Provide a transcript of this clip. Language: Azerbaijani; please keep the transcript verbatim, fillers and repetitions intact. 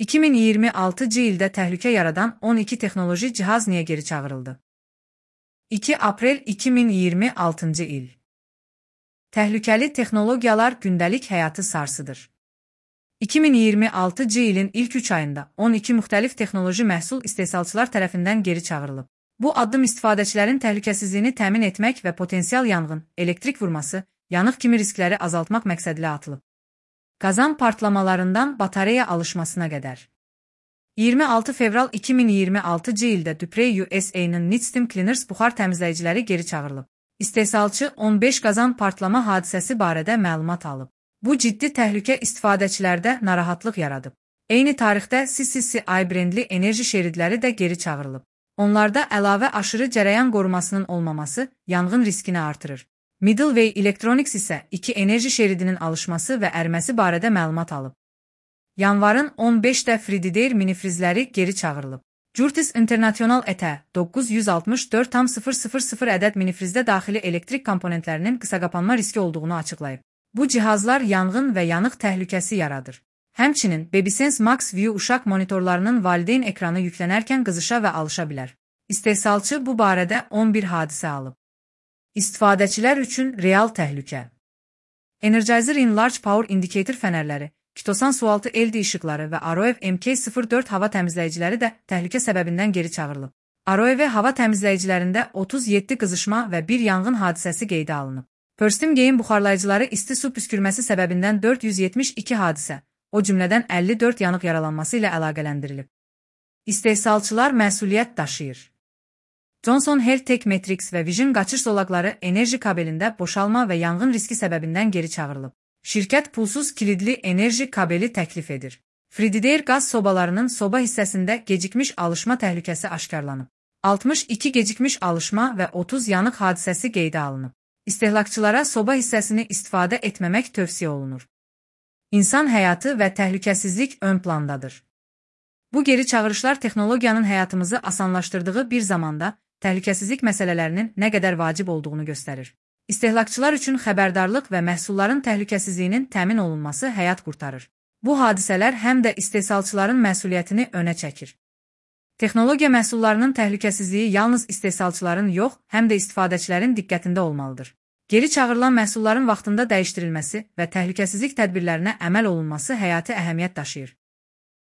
iki min iyirmi altıncı ildə təhlükə yaradan on iki texnoloji cihaz niyə geri çağırıldı? iki aprel iki min iyirmi altıncı il. Təhlükəli texnologiyalar gündəlik həyatı sarsıdır. iki min iyirmi altıncı ilin ilk üç ayında on iki müxtəlif texnoloji məhsul istehsalçılar tərəfindən geri çağırılıb. Bu addım istifadəçilərin təhlükəsizliyini təmin etmək və potensial yanğın, elektrik vurması, yanıq kimi riskləri azaltmaq məqsədilə atılıb. Qazan partlamalarından batareya alışmasına qədər. iyirmi altı fevral iki min iyirmi altıncı ildə Duprey U S A-nın Nitsteam Cleaners buxar təmizləyiciləri geri çağırılıb. İstehsalçı on beş qazan partlama hadisəsi barədə məlumat alıb. Bu ciddi təhlükə istifadəçilərdə narahatlıq yaradıb. Eyni tarixdə C C C I brendli enerji şeridləri də geri çağırılıb. Onlarda əlavə aşırı cərəyan qorumasının olmaması yanğın riskini artırır. Middleway Electronics isə iki enerji şeridinin alışması və ərməsi barədə məlumat alıb. Yanvarın on beşində Frigidaire minifrizləri geri çağırılıb. Curtis International E T doqquz yüz altmış dörd tam sıfır sıfır sıfır ədəd minifrizdə daxili elektrik komponentlərinin qısaqapanma riski olduğunu açıqlayıb. Bu cihazlar yanğın və yanıq təhlükəsi yaradır. Həmçinin BabySense Max View uşaq monitorlarının valideyn ekranı yüklənərkən qızışa və alışa bilər. İstehsalçı bu barədə on bir hadisə alıb. İstifadəçilər üçün real təhlükə. Energizer in Large Power Indicator fənərləri, Kitosan sualtı L E D işıqları və Aroev M K sıfır dörd hava təmizləyiciləri də təhlükə səbəbindən geri çağırılıb. Aroev hava təmizləyicilərində otuz yeddi qızışma və bir yanğın hadisəsi qeydə alınıb. Perstim Game buxarlayıcıları isti su püskürməsi səbəbindən dörd yüz yetmiş iki hadisə, o cümlədən əlli dörd yanıq yaralanması ilə əlaqələndirilib. İstehsalçılar məsuliyyət daşıyır. Johnson Health Tech Matrix və Vision qaçış zolaqları enerji kabelində boşalma və yanğın riski səbəbindən geri çağırılıb. Şirkət pulsuz kilidli enerji kabeli təklif edir. Frigidaire qaz sobalarının soba hissəsində gecikmiş alışma təhlükəsi aşkarlanıb. altmış iki gecikmiş alışma və otuz yanıq hadisəsi qeydə alınıb. İstehlakçılara soba hissəsini istifadə etməmək tövsiyə olunur. İnsan həyatı və təhlükəsizlik ön plandadır. Bu geri çağırışlar texnologiyanın həyatımızı asanlaşdırdığı bir zamanda təhlükəsizlik məsələlərinin nə qədər vacib olduğunu göstərir. İstehlakçılar üçün xəbərdarlıq və məhsulların təhlükəsizliyinin təmin olunması həyat qurtarır. Bu hadisələr həm də istehsalçıların məsuliyyətini önə çəkir. Texnologiya məhsullarının təhlükəsizliyi yalnız istehsalçıların yox, həm də istifadəçilərin diqqətində olmalıdır. Geri çağırılan məhsulların vaxtında dəyişdirilməsi və təhlükəsizlik tədbirlərinə əməl olunması həyati əhəmiyyət daşıyır.